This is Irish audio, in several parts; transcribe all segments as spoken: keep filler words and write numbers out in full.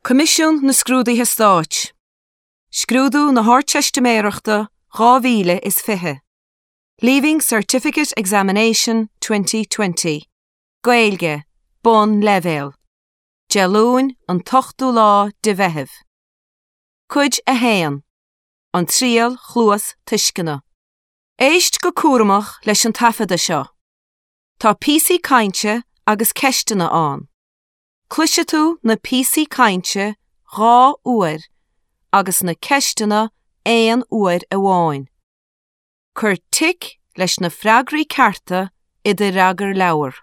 Coimisiún na Scrúduithe Stáit. Scrúdú na hArdteistiméireachta dhá mhíle is fiche. Leaving Certificate Examination twenty twenty. Gaeilge, Bonnleibhéal. Dé Luain an t-ochtú lá de Mheitheamh. Cuid a haon. An triail chluastuisceana. Éist go cúramach leis an taifeadadh seo. Tá píosaí cainte agus ceisteanna ann. Cloisfidh tú na píosaí cainte dhá uair agus na ceisteanna aon uair amháin. Cuir tic leis na freagraí cearta i do fhreagarleabhar.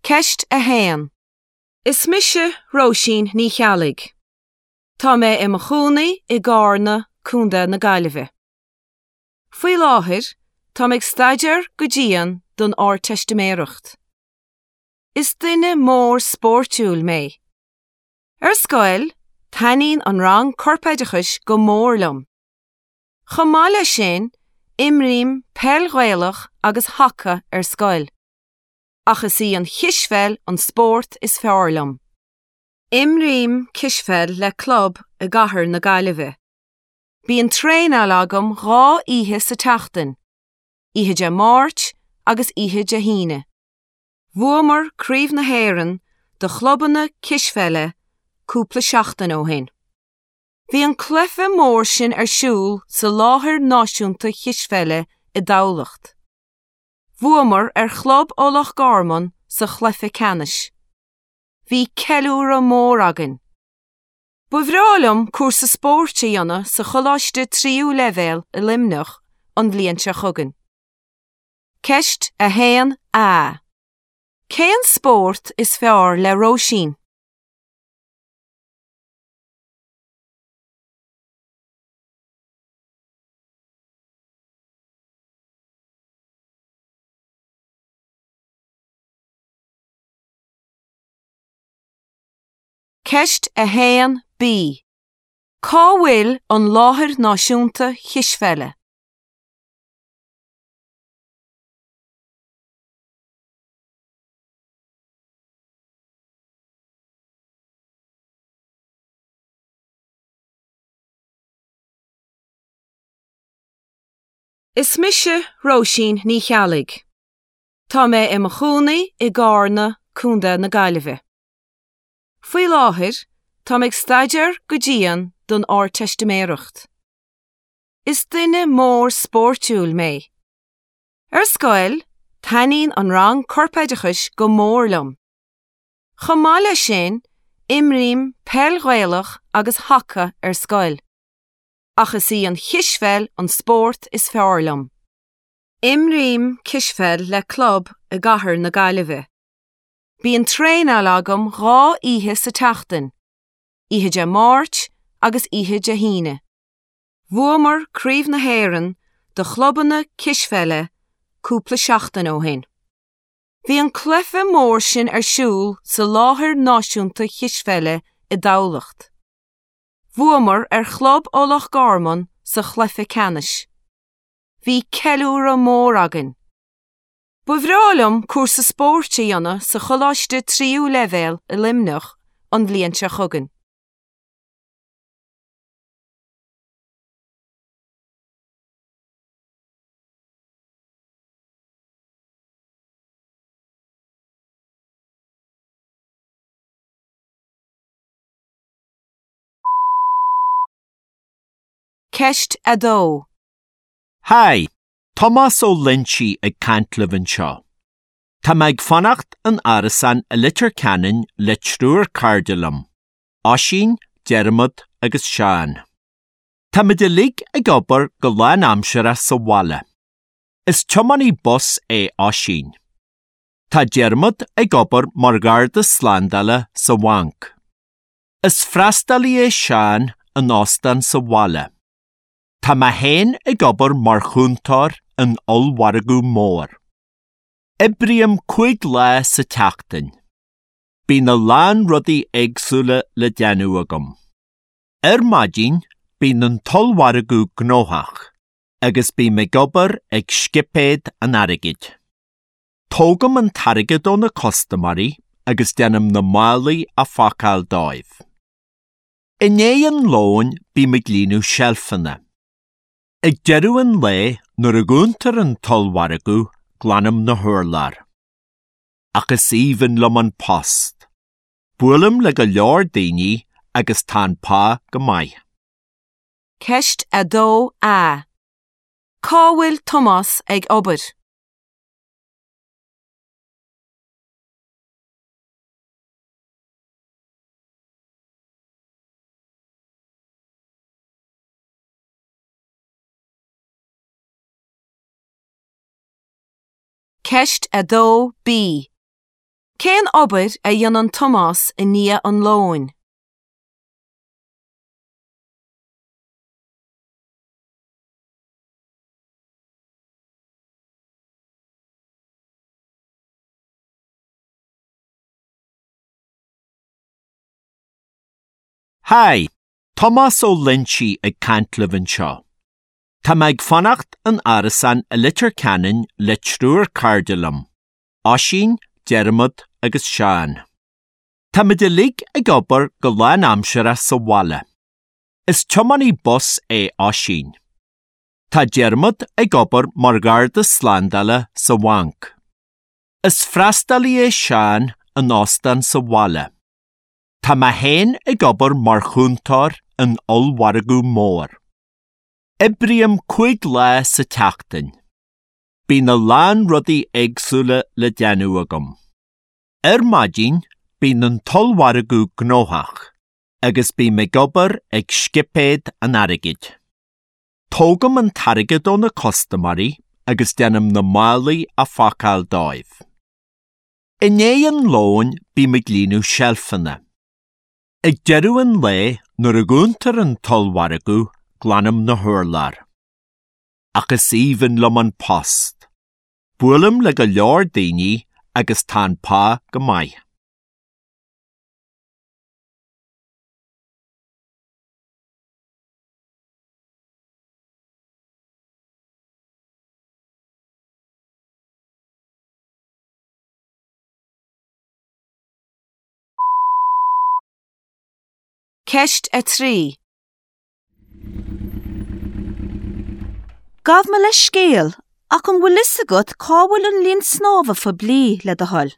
Ceist a haon. Is mise Róisín Ní Cheallaigh. Tá mé i mo chónaí i gCarna, Contae na Gaillimhe. Faoi láthair, táim ag staidéar go dian don Ardteistiméireacht. Is duine mór spórtúil mé. Ar scoil, taitníonn an rang corpoideachais go mór liom. Chomh maith leis sin, imrím peil Ghaelach agus haca ar scoil. Ach is í an chispheil an spórt is fearr liom. Imrím cispheil le club i gcathair na Gaillimhe. Bíonn traenáil agam dhá oíche sa tseachtain, oíche Dé Máirt agus oíche Dé hAoine. Bhuamar Craobh na hÉireann do chlubanna cispheile cúpla seachtain ó shin. Bhí an cluiche mór sin ar siúl sa láthair náisiúnta chispheile i dTamhlacht. Bhuamar ar chlub ó Loch Garman sa chluiche ceannais. Bhí ceiliúradh mór againn. Ba bhreá liom cúrsa spóirt a dhéanamh sa choláiste tríú leibhéal i Luimneach an bhliain seo chugainn. Ceist a haon A. Cén spórt is fearr le Róisín? Ceist a haon B. Cá bhfuil an láthair náisiúnta chispheile? Is mise Róisín Ní Cheallaigh. Tá mé i mo chónaí i gCarna, Contae na Gaillimhe. Faoi láthair, táim ag staidéar go dian don Ardteistiméireacht. Is duine mór spórtúil mé. Ar scoil, taitníonn an rang corpoideachais go mór liom. Chomh maith leis sin, imrím peil Ghaelach agus haca ar scoil. Ach is í an chispheil an spórt is fearr liom. Imrím cispheil le club i gcathair na Gaillimhe. Bíonn traenáil agam dhá oíche sa tseachtain, oíche Dé Máirt agus oíche Dé hAoine. Bhuamar Craobh na hÉireann do chlubanna cispheile cúpla seachtain ó shin. Bhí an cluiche mór sin ar siúl sa láthair náisiúnta chispheile i dTamhlacht. Bhuamar ar chlub ó Loch Garman sa chluiche ceannais. Bhí ceiliúradh mór againn. Ba bhreá liom cúrsa spóirt a dhéanamh sa choláiste tríú leibhéal i Luimneach an bhliain seo chugainn. Ceist a dó. Hi, Tomás Ó Loinsigh ag caint libh anseo. Tá mé ag fanacht in árasán i Leitir Ceanainn le triúr cairde liom, Oisín, Diarmaid agus Seán. Táimid uilig ag obair go lánaimseartha sa bhaile. Is tiománaí bus é Oisín. Tá Diarmaid ag obair mar gharda slándála sa bhanc. Is freastalaí é Seán in óstán sa bhaile. Tá mé féin ag obair mar chúntóir in ollmhargadh mór. Oibrím cúig lá sa tseachtain. Bíonn a lán rudaí éagsúla le déanamh agam. Ar maidin, bíonn an t-ollmhargadh gnóthach agus bím ag obair ag scipéad an airgid. Tógaim an t-airgead ó na custaiméirí agus déanaim na málaí a phacáil dóibh. I ndiaidh an lóin bím ag líonadh seilfeanna. Ag deireadh an lae nuair a dhúntar an t-ollmhargadh glanaim na hurláir. Ach is aoibhinn liom an post. Buailim le go leor daoine agus tá an pá go maith. Ceist a dó A. Cá bhfuil Tomás ag obair? Ceist a dó B. Cén obair a dhéanann Tomás i ndiaidh an lóin? Haigh, Tomás Ó Loinsigh ag caint libh anseo. Tá mé ag fanacht in árasán i Leitir Ceanainn le triúr cairde liom, Oisín, Diarmuid agus Seán. Táimid uilig ag obair go lánaimseartha sa bhaile. Is tiománaí bus é Oisín. Tá Diarmuid ag obair mar gharda slándála sa bhanc. Is freastalaí é Seán in óstán sa bhaile. Tá mé féin ag obair mar chúntóir in ollmhargadh mór. Oibrím cúig lá sa tseachtain. Bíonn a lán rudaí éagsúla le déanamh agam. Ar maidin, bíonn an t-ollmhargadh gnóthach agus bím ag obair ag scipéad an airgid. Tógaim an t-airgead ó na custaiméirí agus déanaim na málaí a phacáil dóibh. I ndiaidh an lóin bím ag líonadh seilfeanna. Ag deireadh an lae nuair a dhúntar an t-ollmhargadh glanaim na hurláir. Ach is aoibhinn liom an post. Buailim le go leor daoine agus tá an pá go maith. Ceist a trí. Gabh mo leithscéal, ach an bhfuil fhios agat cá bhfuil an linn snámha phoiblí le do thoil?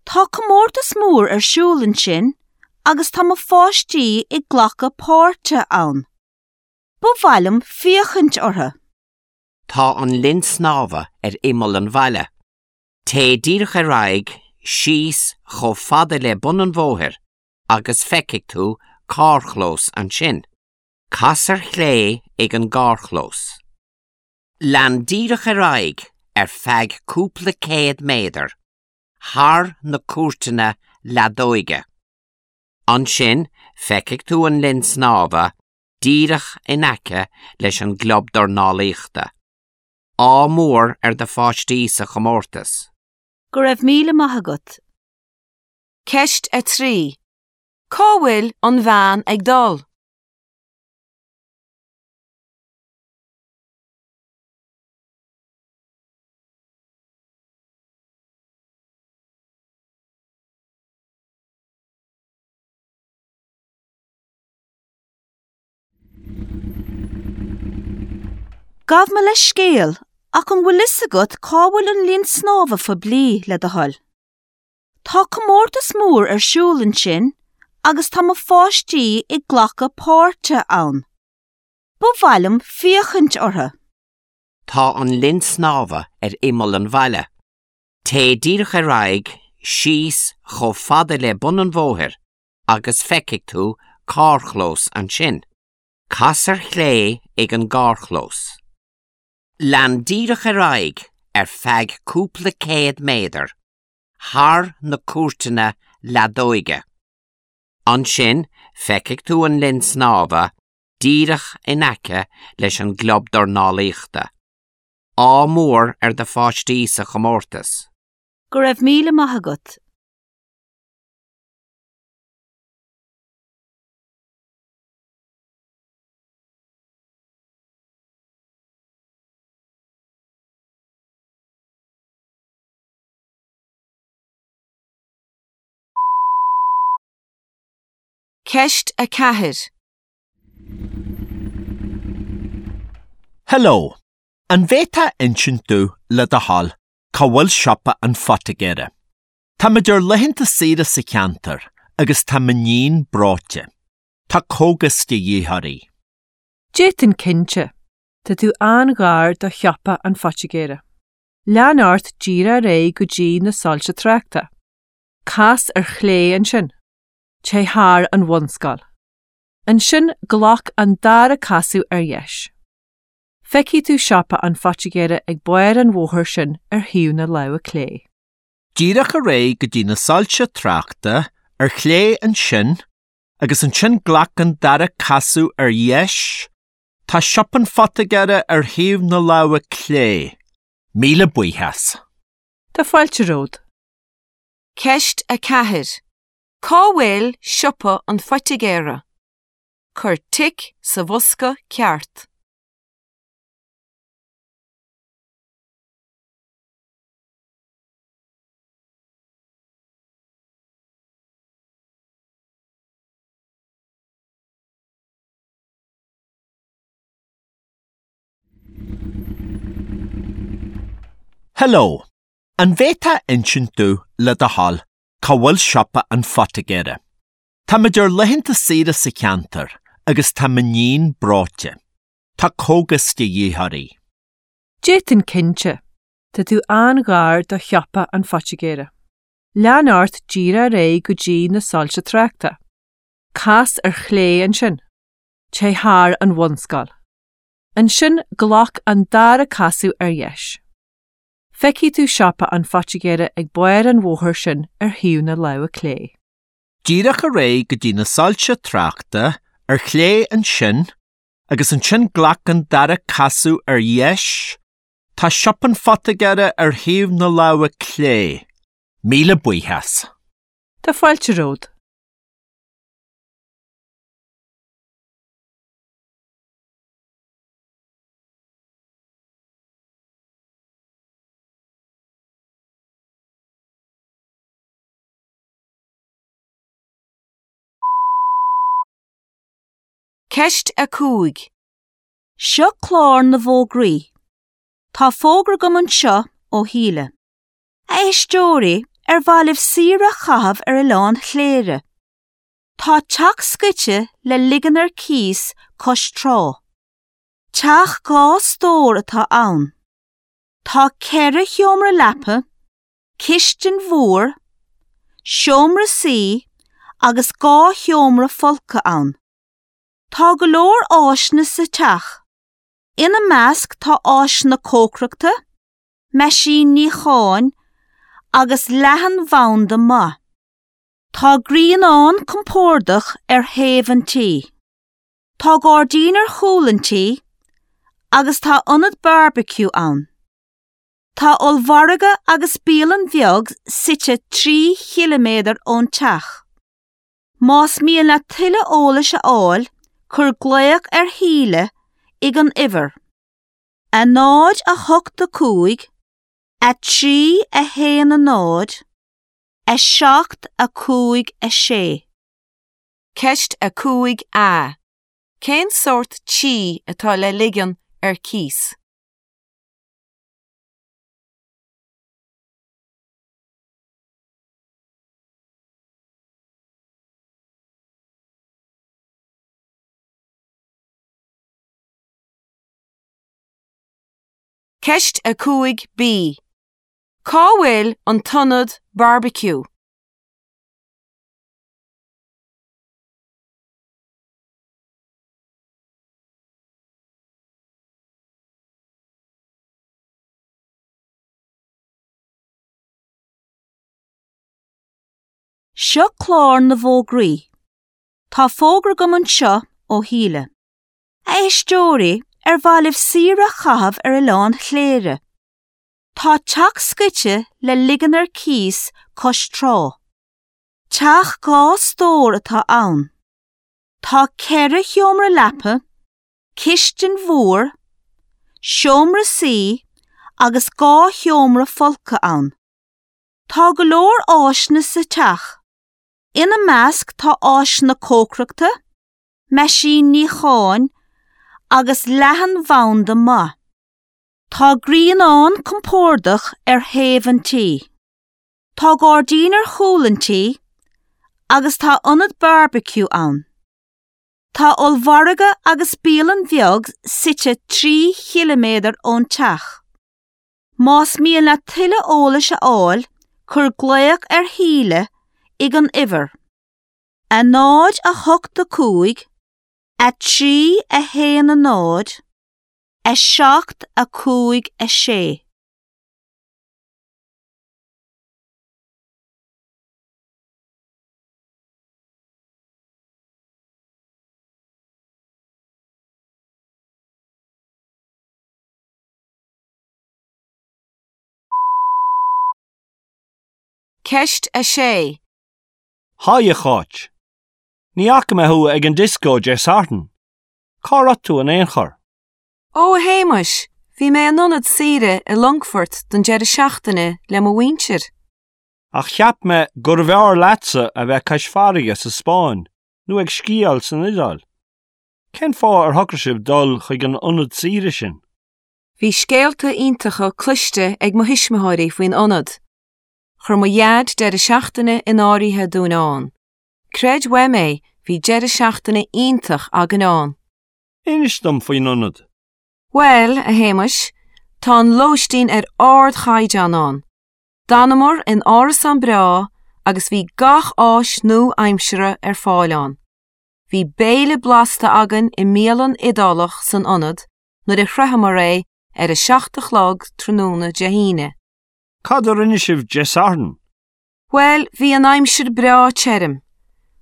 Tá comórtas mór ar siúl ansin agus tá mo pháistí ag glacadh páirte ann. Ba mhaith liom féachaint orthu. Tá an linn snámha ar imeall an bhaile. Téigh díreach ar aghaidh síos chomh fada le bun an bhóthair agus feicfidh tú carrchlós ansin. Cas ar chlé ag an gcarrchlós. Lean díreach ar aghaidh ar feadh cúpla céad méadar, thar na cúirteanna leadóige. Ansin feicfidh tú an linn snámha díreach in aice leis an gclub dornálaíochta. Ádh mór ar do pháistí sa chomórtas. Go raibh míle maith agat. Ceist a trí. Cá bhfuil an bhean ag dul? Gabh mo leithscéal, ach an bhfuil fhios agat cá bhfuil an linn snámha phoiblí le do thoil? Tá comórtas mór ar siúl ansin agus tá mo pháistí ag glacadh páirte ann. Ba mhaith liom féachaint orthu. Tá an linn snámha ar imeall an bhaile. Téigh díreach ar aghaidh síos chomh fada le bun an bhóthair agus feicfidh tú carrchlós ansin. Cas ar chlé ag an gcarrchlós. Lean díreach ar aghaidh ar feadh cúpla céad méadar, thar na cúirteanna leadóige. Ansin feicfidh tú an linn snámha díreach in aice leis an gclub dornálaíochta. Ádh mór ar do pháistí sa chomórtas. Go raibh míle maith agat. Ceist a ceathair. Hello. An bhféadfá insint domh le do thoil cá bhfuil siopa an phoitigéara? Táimid ar laethanta saoire sa cheantar agus tá m'iníon breoite. Tá cógas de dhíth uirthi. D'fhéadfainn cinnte. Tá tú an-ghar do shiopa an phoitigéara. Lean ort díreach ar aghaidh go dtí na soilse tráchta. Cas ar chlé ansin. Téigh thar an bhunscoil. Ansin glac an dara casadh ar dheis. Feicfidh tú siopa an phoitigéara ag barr an bhóthair sin ar thaobh na láimhe clé. Díreach ar aghaidh go dtí na soilse tráchta, ar chlé ansin, agus ansin glac an dara casadh ar dheis. Tá siopa an phoitigéara ar thaobh na láimhe clé. Míle buíochas. Tá fáilte romhat. Ceist a ceathair. Cá bhfuil siopa an phoitigéara? Cuir tic sa bhosca ceart. Hello. An bhféadfá insint domh le do thoil cá bhfuil siopa an phoitigéara? Táimid ar laethanta saoire sa cheantar agus tá m'iníon breoite. Tá cógas de dhíth uirthi. D'fhéadfainn cinnte. Tá tú an-ghar do shiopa an phoitigéara. Lean ort díreach ar aghaidh go dtí na soilse tráchta. Cas ar chlé ansin. Téigh thar an bhunscoil. Ansin glac an dara casadh ar dheis. Feicfidh tú siopa an phoitigéara ag barr an bhóthair sin ar thaobh na láimhe clé. Díreach ar aghaidh go dtí na soilse tráchta, ar chlé ansin, agus ansin glac an dara casadh ar dheis. Tá siopa an phoitigéara ar thaobh na láimhe clé. Míle buíochas. Tá fáilte romhat. Ceist a cúig. Seo clár na bhfógraí. Tá fógra agam anseo ó Shíle. A éisteoirí ar mhaith libh saoire a chaitheamh ar Oileán Chléire. Tá teach scoite le ligean ar cíos cois trá. Teach dhá stór atá ann. Tá ceithre sheomra leapa, cistin mhór, seomra suí agus dhá sheomra folctha ann. Tá go leor áiseanna sa teach. Ina measc tá áiseanna cócaireachta, meaisín níocháin agus leathanbhanda maith. Tá grianán compordach ar thaobh an tí. Tá gairdín ar chúl an tí agus tá ionad barbecue ann. Tá ollmhargadh agus bialann bheag suite trí chiliméadar ón teach. Más mian leat tuilleadh eolais a fháil, cuir glaoch ar Shíle ag an uimhir. A náid a hocht a cúig, a trí a haon a náid, a seacht a cúig a sé. Ceist a cúig A. Cén sórt tí atá le ligean ar cíos? Ceist a cúig B. Cá bhfuil an t-ionad barbecue? Seo clár na bhfógraí. Tá fógra agam anseo ó Shíle. A éisteoirí ar mhaith libh saoire a chaitheamh ar Oileán Chléire. Tá teach scoite le ligean ar cíos cois trá. Teach dhá stór atá ann. Tá ceithre sheomra leapa, cistin mhór, seomra suí agus dhá sheomra folctha ann. Tá go leor áiseanna sa teach. Ina measc tá áiseanna cócaireachta, meaisín níocháin agus leathanbhanda maith. Tá grianán compordach ar thaobh an tí. Tá gairdín ar chúl an tí agus tá ionad barbecue ann. Tá ollmhargadh agus bialann bheag suite trí chiliméadar ón teach. Más mian leat tuilleadh eolais a fháil, cuir glaoch ar Shíle ag an uimhir. A náid a hocht a cúig, a trí a haon a náid, a seacht a cúig a sé. Ceist a sé. Haigh a Cháit. Ní fhaca mé thú ag an dioscó Dé Sathairn. Cá raibh tú in aon chor? Ó a Shéamais, bhí mé in ionad saoire i Longfort don deireadh seachtaine le mo mhuintir. Ach cheap mé gurbh fhearr leatsa a bheith cois farraige sa Spáinn nó ag sciáil san Iodáil. Cén fáth ar shocraigh sibh dul chuig an ionad saoire sin? Bhí scéalta iontacha cloiste ag mo thuismitheoirí faoin ionad. Chuir mo dhaid deireadh seachtaine in áirithe dúinn ann. Creid uaim é, bhí deireadh seachtaine iontach againn ann. Inis dom faoin ionad. Bhuel, a Shéamais, tá an lóistín ar ardchaighdeán ann. D'fhanamar in árasán breá agus bhí gach áis nua-aimseartha ar fáil ann. Bhí béile blasta againn i mbialann Iodálach san ionad nuair a shroicheamar é ar a seacht a chlog tráthnóna Dé hAoine. Cad a rinne sibh Dé Sathairn? Bhuel, bhí an aimsir breá tirim.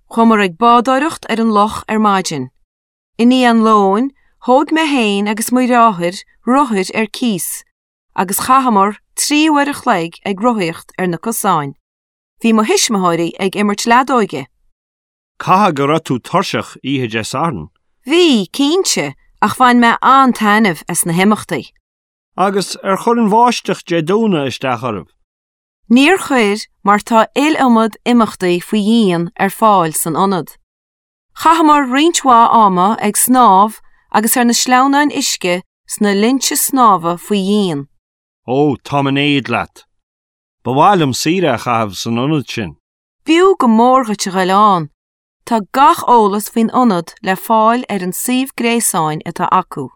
Chuamar ag bádóireacht ar an loch ar maidin. I ndiaidh an lóin, thóg mé féin agus mo dheartháir rothair ar cíos, agus chaitheamar trí uair a chloig ag rothaíocht ar na cosáin. Bhí mo thuismitheoirí ag imirt leadóige. Caithfidh go raibh tú tuirseach oíche Dé Sathairn. Bhí, cinnte, ach bhain mé an-taitneamh as na himeachtaí. Agus ar chuir an bháisteach Dé Domhnaigh isteach oraibh? Níor chuir mar tá iliomad imeachtaí faoi dhíon ar fáil san ionad. Chaitheamar roinnt mhaith ama ag snámh agus ar na sleamhnáin uisce sna linnte snámha faoi dhíon. Ó, táim in éad leat. Ba mhaith liom saoire a chaitheamh san ionad sin. B'fhiú go mór dhuit a ghoil ann. Tá gach eolas faoin ionad le fáil ar an suíomh gréasáin atá acu.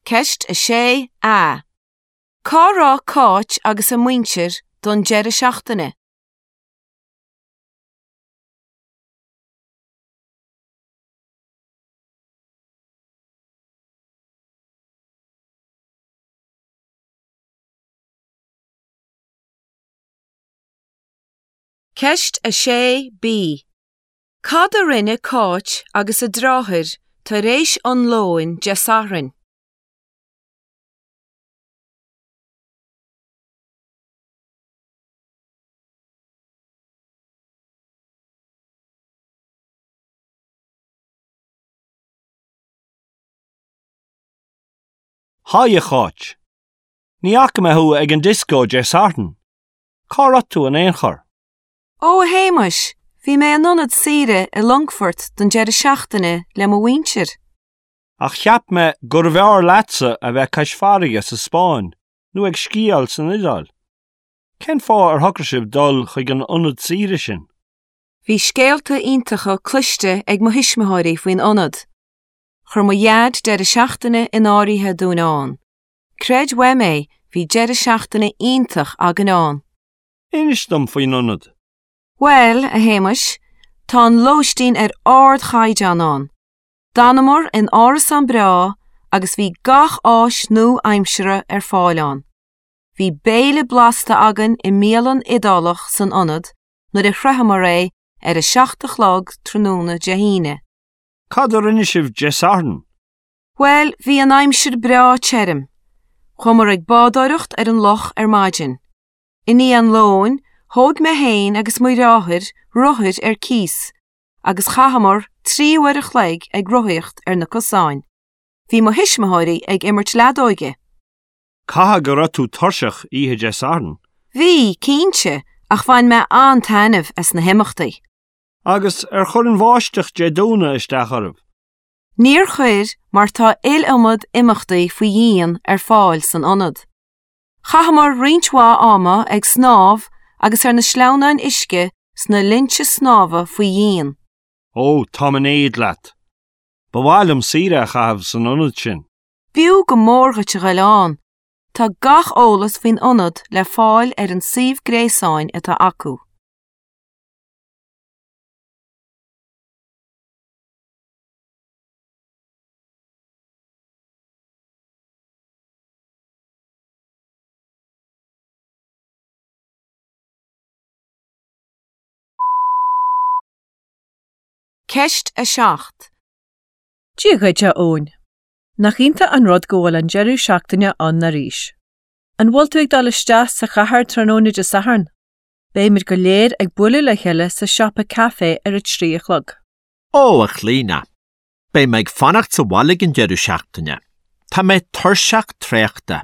Ceist a sé A. Cá raibh Cáit agus a muintir don deireadh seachtaine? Ceist a sé B. Cad a rinne Cáit agus a deartháir tar éis an lóin Dé Sathairn? Haigh a Cháit. Ní fhaca mé thú ag an dioscó Dé Sathairn. Cá raibh tú in aon chor? Ó a Shéamais, bhí mé in ionad saoire i Longfort don deireadh seachtaine le mo mhuintir. Ach cheap mé gurbh fhearr leatsa a bheith cois farraige sa Spáinn nó ag sciáil san Iodáil. Cén fáth ar shocraigh sibh dul chuig an ionad saoire sin? Bhí scéalta iontacha cloiste ag mo thuismitheoirí faoin ionad. Chuir mo dhaid deireadh seachtaine in áirithe dúinn ann. Creid uaim é, bhí deireadh seachtaine iontach againn ann. Inis dom faoin ionad. Bhuel, a Shéamais, tá an lóistín ar ardchaighdeán ann. D'fhanamar in árasán breá agus bhí gach áis nua-aimseartha ar fáil ann. Bhí béile blasta againn i mbialann Iodálach san ionad nuair a shroicheamar é ar a seacht a chlog tráthnóna Dé hAoine. Cad a rinne sibh Dé Sathairn? Bhuel, bhí an aimsir breá tirim. Chuamar ag bádóireacht ar an loch ar maidin. I ndiaidh an lóin, thóg mé féin agus mo dheartháir rothair ar cíos, agus chaitheamar trí uair a chloig ag rothaíocht ar na cosáin. Bhí mo thuismitheoirí ag imirt leadóige. Caithfidh go raibh tú tuirseach oíche Dé Sathairn. Bhí, cinnte, Ach bhain mé an-taitneamh as na himeachtaí. Agus ar chuir an bháisteach Dé Domhnaigh isteach oraibh? Níor chuir mar tá iliomad imeachtaí faoi dhíon ar fáil san ionad. Chaitheamar roinnt mhaith ama ag snámh agus ar na sleamhnáin uisce sna linnte snámha faoi dhíon. Ó, táim in éad leat. Ba mhaith liom saoire a chaitheamh san ionad sin. B'fhiú go mór dhuit a ghoil ann. Tá gach eolas faoin ionad le fáil ar an suíomh gréasáin atá acu. Ceist a seacht. Dia dhuit, a Eoin. Nach iontach an rud go bhfuil an deireadh seachtaine ann arís. An bhfuil tú ag dul isteach sa chathair tráthnóna Dé Sathairn? Beimid go léir ag bualadh le chéile sa siopa caife ar a trí a chlog. Ó, a Chlíona. Beidh mé ag fanacht sa bhaile ag an deireadh seachtaine. Tá mé tuirseach traochta.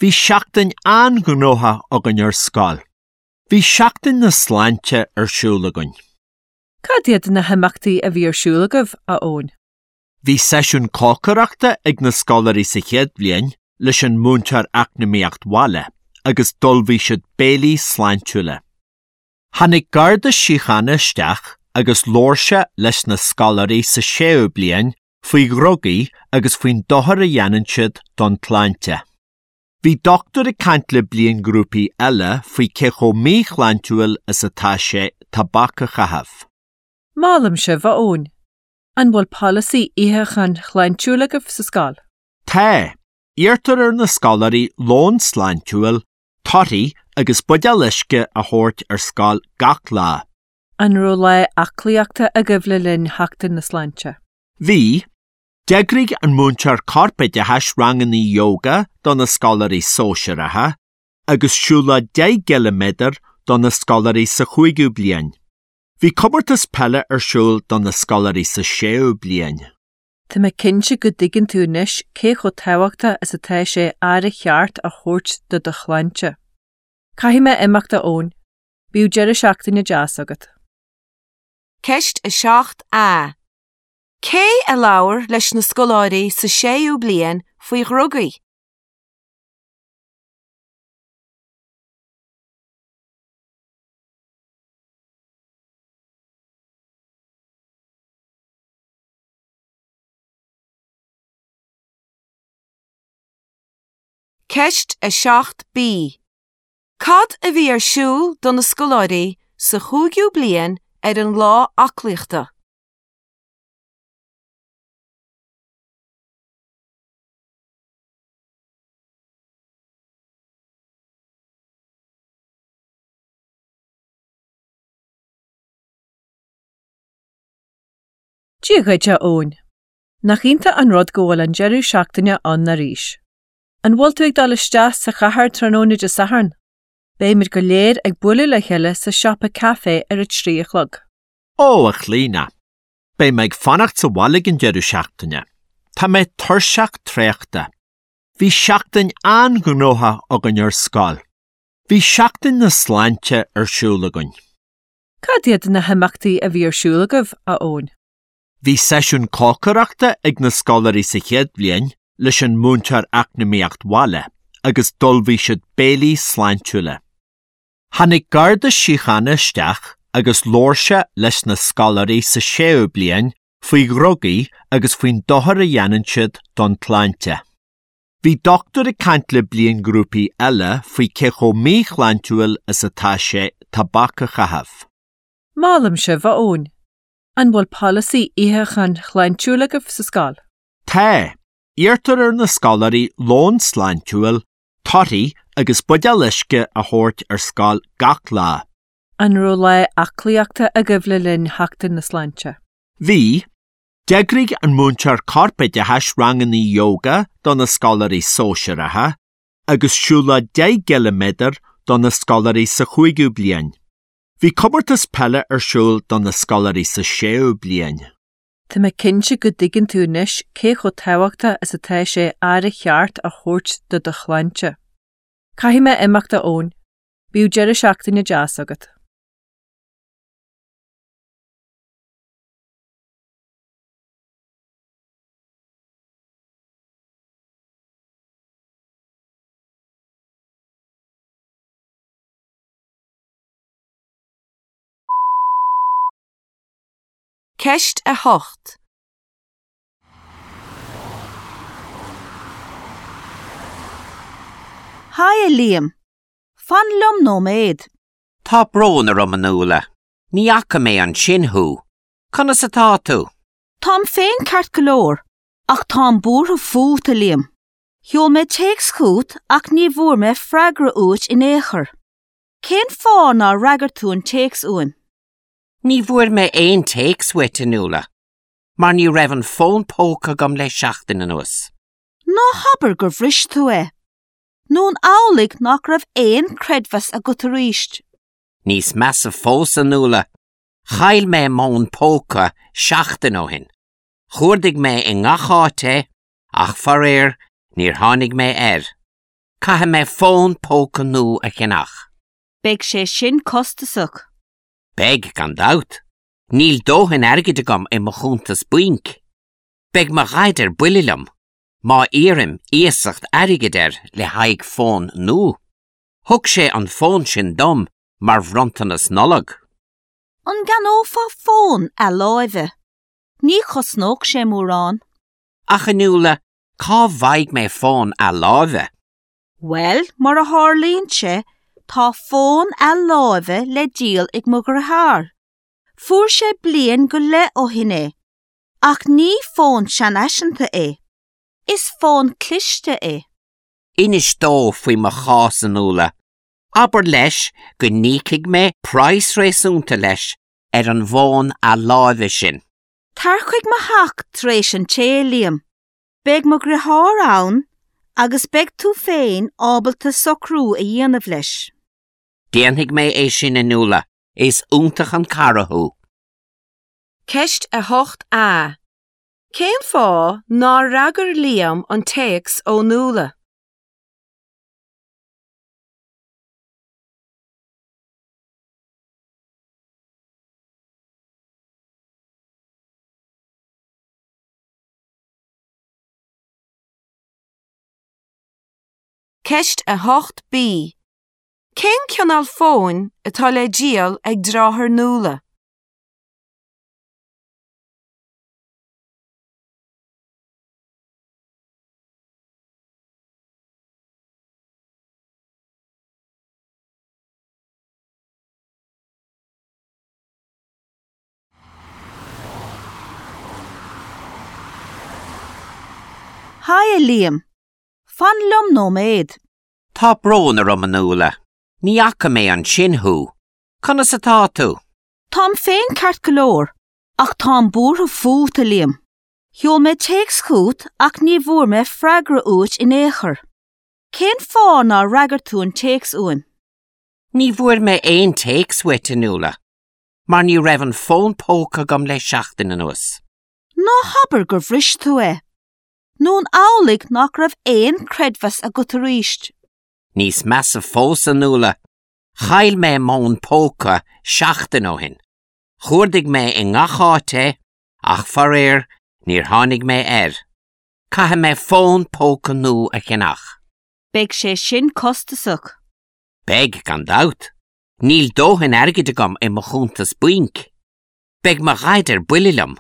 Bhí seachtain an-ghnóthach againn ar scoil. Bhí seachtain na sláinte ar siúl againn. Cad iad na himeachtaí a bhí ar siúl agaibh, a Eoin? Bhí seisiún cócaireachta ag na scoláirí sa chéad bhliain leis an múinteoir eacnamaíocht bhaile agus d'ullmhaigh siad béilí sláintiúla. Tháinig Garda Síochána isteach agus labhair sé leis na scoláirí sa séú bliain faoi dhrugaí agus faoin dochar a dhéanann siad don tsláinte. Bhí dochtúir ag caint le bliainghrúpaí eile faoi cé chomh míshláintiúil is atá sé tobac a chaitheamh. Molaim sibh, a Eoin. An bhfuil polasaí itheacháin shláintiúil agaibh sa scoil? Tá. Iarrtar ar na scoláirí lón sláintiúil, torthaí agus buidéal uisce a thabhairt ar scoil gach lá. An raibh lá aclaíochta agaibh le linn Sheachtain na Sláinte? Bhí. D'eagraigh an múinteoir corpoideachais ranganna yoga do na scoláirí sóisearacha agus siúlóid deich gciliméadar do na scoláirí sa chúigiú bliain. Bhí comórtas peile ar siúl do na scoláirí sa séú bliain. Tá mé cinnte go dtuigeann tú anois cé chomh tábhachtach is atá sé aire cheart a thabhairt do do shláinte. Caithfidh mé imeacht a Eoin. Bíodh deireadh seachtaine deas agat. Ceist a seacht A. Cé a labhair leis na scoláirí sa séú bliain faoi dhrugaí? Ceist a seacht B. Cad a bhí ar siúl do na scoláirí sa chúigiú bliain ar an lá aclaíochta? Dia dhuit, a Eoin. Nach iontach an rud go bhfuil an deireadh seachtaine ann arís. An bhfuil tú ag dul isteach sa chathair tráthnóna Dé Sathairn? Beimid go léir ag bualadh le chéile sa siopa caife ar a trí a chlog. Ó, a Chlíona. Beidh mé ag fanacht sa bhaile ag an deireadh seachtaine. Tá mé tuirseach traochta. Bhí seachtain an-ghnóthach againn ar scoil. Bhí seachtain na sláinte ar siúl againn. Cad iad na himeachtaí a bhí ar siúl agaibh, a Eoin? Bhí seisiún cócaireachta ag na scoláirí sa chéad bhliain leis an múinteoir eacnamaíocht bhaile agus d'ullmhaigh siad béilí sláintiúla. Tháinig Garda Síochána isteach agus labhair sé leis na scoláirí sa séú bliain faoi dhrugaí agus faoin dochar a dhéanann siad don tsláinte. Bhí dochtúir ag caint le bliainghrúpaí eile faoi cé chomh míshláintiúil is atá sé tobac a chaitheamh. Molaim sibh, a Eoin. An bhfuil polasaí itheacháin shláintiúil agaibh sa scoil? Tá. Iarrtar ar na scoláirí lón sláintiúil, torthaí agus buidéal uisce a thabhairt ar scoil gach lá. An raibh lá aclaíochta agaibh le linn Sheachtain na Sláinte? Bhí. D'eagraigh an múinteoir corpoideachais ranganna yoga do na scoláirí sóisearacha agus siúlóid deich gciliméadar do na scoláirí sa chúigiú bliain. Bhí comórtas peile ar siúl do na scoláirí sa séú bliain. Tá mé cinnte go dtuigeann tú anois cé chomh tábhachtach is atá sé aire cheart a thabhairt do do shláinte. Caithfidh mé imeacht a Eoin. Bíodh deireadh seachtaine deas agat. Ceist a hocht. Haigh a Liam. Fan liom nóiméad. Tá brón orm a Nuala. Ní fhaca mé ansin thú. Conas atá tú? Táim féin ceart go leor, ach táim buartha fút a Liam. Sheol mé téacs chugat ach ní bhfuair mé freagra uait in aon chor. Cén fáth nár fhreagair tú an téacs uaim? Ní bhfuair mé aon téacs uait a Nuala, mar ní raibh an fón póca agam le seachtain anuas. Ná habair gur bhris tú é. Nó an amhlaidh nach raibh aon creidmheas agat arís. Níos measa fós a Nuala, chaill mé m'fhón póca seachtain ó shin. Chuardaigh mé i ngach áit é, ach faraor níor tháinig mé air. Caithfidh mé fón póca nua a cheannach. Beidh sé sin costasach. Beidh gan dabht. Níl dóthain airgid agam i mo chuntas bainc. Beidh mo dhaid ar buile liom, má iarraim iasacht airgid air le haghaidh fón nua. Thug sé an fón sin dom mar bhronntanas Nollag. An gceannófá fón athláimhe. Ní chosnódh sé mórán. Ach a Nuala, cá bhfaighidh mé fón athláimhe? Bhuel, mar a tharlaíonn sé, tá fón athláimhe le díol ag mo dheartháir. Fuair sé bliain go leith ó shin é, ach ní fón seanfhaiseanta é. Is fón cliste é. Inis dó faoi mo chás a Nuala. Abair leis go n-íocfaidh mé praghas réasúnta leis ar an bhfón athláimhe sin. Tar chuig mo theach tar éis an tae, Liam. Beidh mo dheartháir ann agus beidh tú féin ábalta socrú a dhéanamh leis. Déanfaidh mé é sin a Nuala, is iontach an cara thú. Ceist a hocht A. Cén fáth nár fhreagair Liam an téacs ó Nuala? Ceist a hocht B. Cén cineál fóin atá le díol ag deartháir Nuala? Haigh a Liam. Fan liom nóiméad. Tá brón orm a Nuala. Ní fhaca mé ansin thú. Conas atá tú? Táim féin ceart go leor, ach táim buartha fút a Liam. Sheol mé téacs chugat ach ní bhfuair mé freagra uait in aon chor. Cén fáth nár fhreagair tú an téacs uaim? Ní bhfuair mé aon téacs uait a Nuala, mar ní raibh an fón póca agam le seachtain anuas. Ná habair gur bhris tú é. Nó an amhlaidh nach raibh aon creidmheas agat arís. Níos measa fós a Nuala, chaill mé m'fhón póca seachtain ó shin. Chuardaigh mé i ngach áit é, ach faraor níor tháinig mé air. Caithfidh mé fón póca nua a cheannach. Beidh sé sin costasach. Beidh gan dabht. Níl dóthain airgid agam i mo chuntas bainc. Beidh mo dhaid ar buile liom,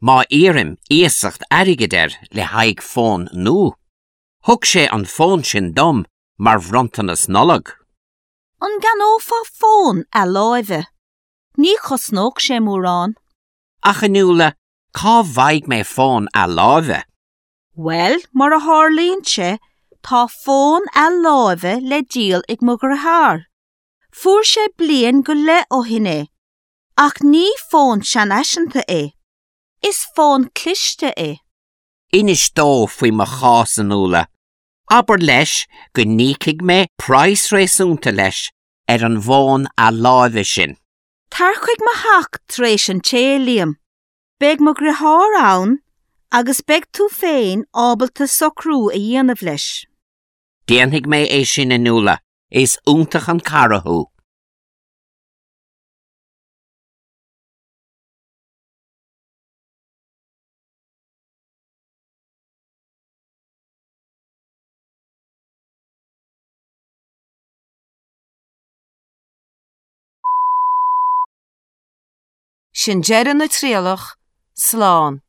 má iarraim iasacht airgid air le haghaidh fón nua. Thug sé an fón sin dom mar bhronntanas Nollag. An gceannófá fón athláimhe. Ní chosnódh sé mórán. Ach a Nuala, cá bhfaighidh mé fón athláimhe? Bhuel, mar a tharlaíonn sé, tá fón athláimhe le díol ag mo dheartháir. Fuair sé bliain go leith ó shin é, ach ní fón seanfhaiseanta é. Is fón cliste é. Inis dó faoi mo chás a Nuala. Abair leis go n-íocfaidh mé praghas réasúnta leis ar an bhfón athláimhe sin. Tar chuig mo theach tar éis an tae, Liam. Beidh mo dheartháir ann agus beidh tú féin ábalta socrú a dhéanamh leis. Déanfaidh mé é sin a Nuala, Is iontach an cara thú. Sin deireadh na trialach, slán.